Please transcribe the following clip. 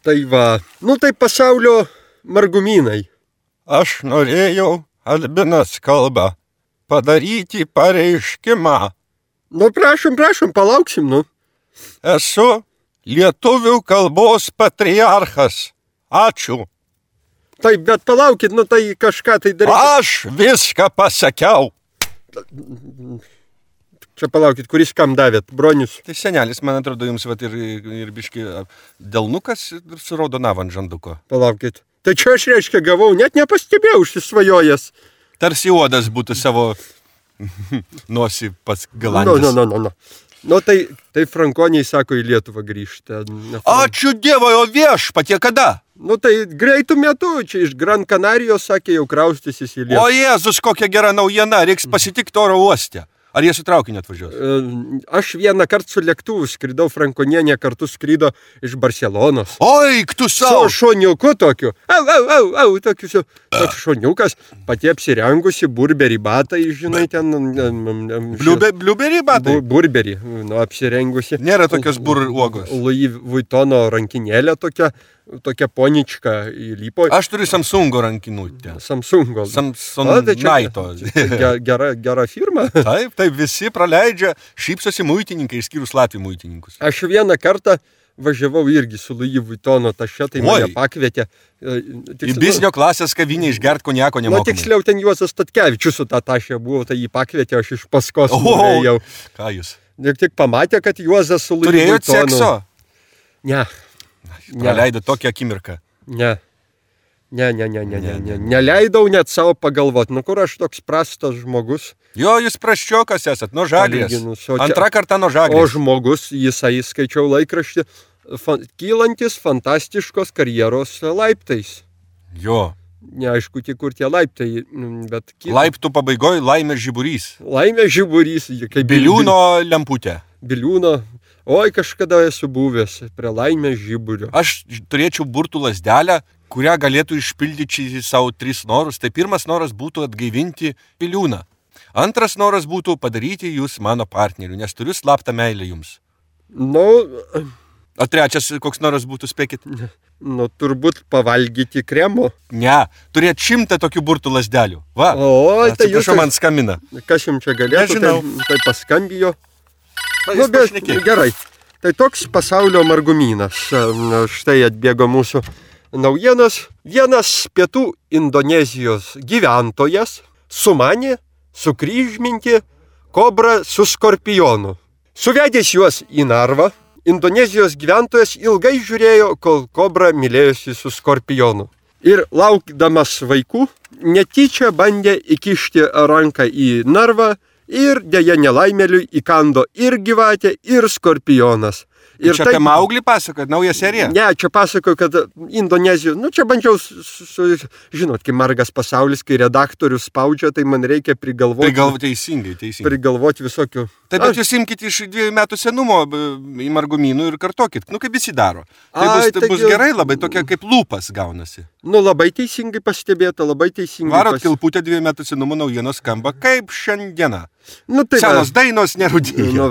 Tai va, tai pasaulio margumynai. Aš norėjau, Albinas kalba, padaryti pareiškimą. Prašom, palauksim, Esu lietuvių kalbos patriarchas. Ačiū. Taip, bet palaukit, tai kažką tai daryti. Aš viską pasakiau. Čia palaukit, kuris kam davėt, Bronius? Tai senelis, man atrodo, jums ir biški delnukas su raudonava ant žanduko. Palaukit. Tai čia aš reiškia gavau, net nepastebėjau užsisvajojęs. Tarsi uodas būtų savo nosį pats galandis. Tai frankoniai sako į Lietuvą grįžti. Ačiū Dievui, o viešpatie kada? Tai greitų metu, čia iš Gran Canarijos, sakė, jau kraustysis į Lietuvą. O Jėzus, kokia gera naujiena, reiks pasitikti oro uoste. Ar jie su traukiniu atvažiuos? Aš vieną kartą su lėktuvu skridau, frankonienė kartu skrido iš Barcelonos. Oi, tu savo! Su šoniuku tokiu. Tokiu šoniukas, pati apsirengusi, burberį batai, žinai, ten... Bliuberį batai? Burberį, apsirengusi. Nėra tokios uogos. Louis Vuittono rankinėlė tokia ponička įlypo. Aš turiu Samsungo rankinutę. Samsungo. Samsonite. Gera firma. Taip, visi praleidžia, šypsosi muitininkai, išskyrus Latvių muitininkus. Aš vieną kartą važiavau irgi su Louis Vuittono taše, tai mane pakvietė. Į biznio klasės kavinę išgert konjako nemokamai. Tiksliau, ten Juozas Statkevičius su tą tašę buvo, tai jį pakvietė, aš iš paskos nuėjau. Ką jūs? Ir tik pamatė, kad Juozas su Louis Vuittonu. Turėjot sekso? Ne. Praleido tokią akimirką. Ne. Neleidau net savo pagalvoti, kur aš toks prastas žmogus. Jo, jūs prasčiokas esat, nuo Žagrės. Antrą kartą nuo Žagrės. O žmogus, jisai skaičiau laikraštį, kylantis fantastiškos karjeros laiptais. Jo. Neaišku, tik kur tie laiptai, bet... Laiptų pabaigoje Laimės žiburys. Laimės žiburys. Biliūno lemputė. Biliūno. Oi, kažkada esu buvęs prie Laimės žiburio. Aš turėčiau burtų lazdelę, kurią galėtų išpildyti savo 3 norus. Tai pirmas noras būtų atgaivinti Biliūną. Antras noras būtų padaryti jūs mano partneriu, nes turiu slaptą meilę jums. O trečias koks noras būtų, spėkit? Turbūt pavalgyti kremo. Ne, turėt 100 tokių burtų lazdelių. Va, tai jūs man skambina. Kas jums čia galėtų? Nežinau. Tai paskambijo. Gerai. Tai toks pasaulio margumynas. Štai atbėgo mūsų naujienos. Vienas pietų Indonezijos gyventojas sumanė sukryžminti kobrą su skorpionu. Suvedęs juos į narvą, Indonezijos gyventojas ilgai žiūrėjo, kol kobra mylėjosi su skorpionu. Ir laukdamas vaikų, netyčia bandė įkišti ranką į narvą ir dėja nelaimėliui įkando ir gyvatė, ir skorpionas. Ir čia apie Mauglį pasakoja, nauja serija? Ne, čia pasakoju, kad Indonezijoj, čia bandžiau, žinot, kai margas pasaulis, kai redaktorius spaudžia, tai man reikia prigalvoti. Teisingai. Prigalvoti visokių. Taip, bet jūs imkite iš 2 metų senumo į margumynų ir kartokit, kaip visi daro. Tai bus gerai, labai tokia kaip lūpas gaunasi. Labai teisingai pastebėta, labai teisingai. Varot kilputę 2 metų senumo naujienos skamba kaip šiandieną. Tai senos dainos nerūdėjo.